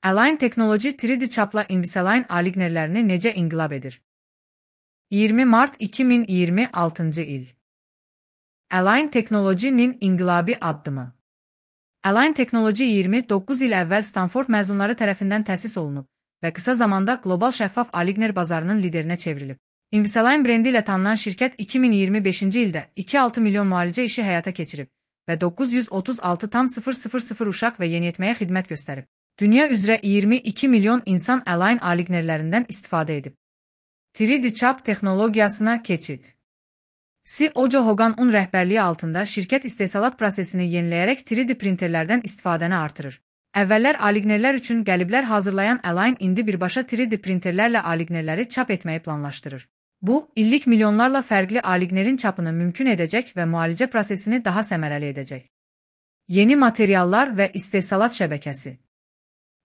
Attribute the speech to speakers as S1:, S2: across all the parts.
S1: Align Technology 3D çapla Invisalign alignerlərini necə inqilab edir? 20 mart 2026 il. Align Technology-nin inqilabi addımı. Align Technology 29 il əvvəl Stanford məzunları tərəfindən təsis olunub və qısa zamanda qlobal şəffaf aligner bazarının liderinə çevrilib. Invisalign brendi ilə tanınan şirkət 2025-ci ildə 2,6 milyon müalicə işi həyata keçirib və 936,000 uşaq və yeniyetməyə xidmət göstərib. Dünya üzrə 22 milyon insan Align alignerlərindən istifadə edib. 3D çap texnologiyasına keçid. CEO Joe Hogan'ın rəhbərliyi altında şirkət istehsalat prosesini yeniləyərək 3D printerlərdən istifadəni artırır. Əvvəllər alignerlər üçün qəliblər hazırlayan Align indi birbaşa 3D printerlərlə alignerləri çap etməyi planlaşdırır. Bu, illik milyonlarla fərqli alignerin çapını mümkün edəcək və müalicə prosesini daha səmərəli edəcək. Yeni materiallar və istehsalat şəbəkəsi.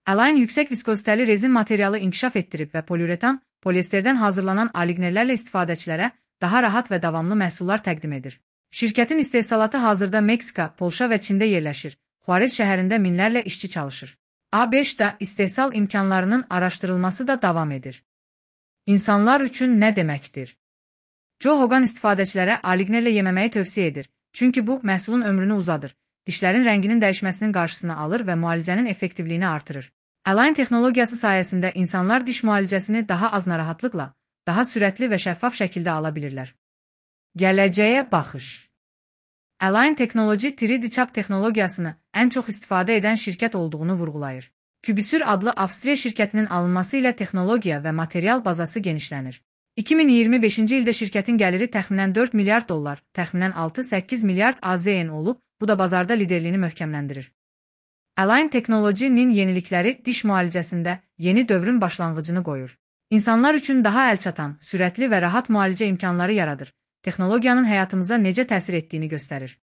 S1: Align yüksək viskozitəli rezin materialı inkişaf etdirib və poliuretan, poliesterdən hazırlanan alignerlərlə istifadəçilərə daha rahat və davamlı məhsullar təqdim edir. Şirkətin istehsalatı hazırda Meksika, Polşa və Çində yerləşir. Xuarez şəhərində minlərlə işçi çalışır. ABŞ-da istehsal imkanlarının araşdırılması da davam edir. İnsanlar üçün nə deməkdir? Joe Hogan istifadəçilərə alignerlə yeməməyi tövsiyə edir, çünki bu, məhsulun ömrünü uzadır, dişlərin rənginin dəyişməsinin qarşısını alır və müalicənin effektivliyini artırır. Align texnologiyası sayəsində insanlar diş müalicəsini daha az narahatlıqla, daha sürətli və şəffaf şəkildə ala bilirlər. Gələcəyə baxış. Align Technology 3D çap texnologiyasını ən çox istifadə edən şirkət olduğunu vurğulayır. Cubisure adlı Avstriya şirkətinin alınması ilə texnologiya və material bazası genişlənir. 2025-ci ildə şirkətin gəliri təxminən 4 milyard dollar, təxminən 6-8 milyard AZN olub, bu da bazarda liderliyini möhkəmləndirir. Align Technology-nin yenilikləri diş müalicəsində yeni dövrün başlanğıcını qoyur. İnsanlar üçün daha əlçatan, sürətli və rahat müalicə imkanları yaradır. Texnologiyanın həyatımıza necə təsir etdiyini göstərir.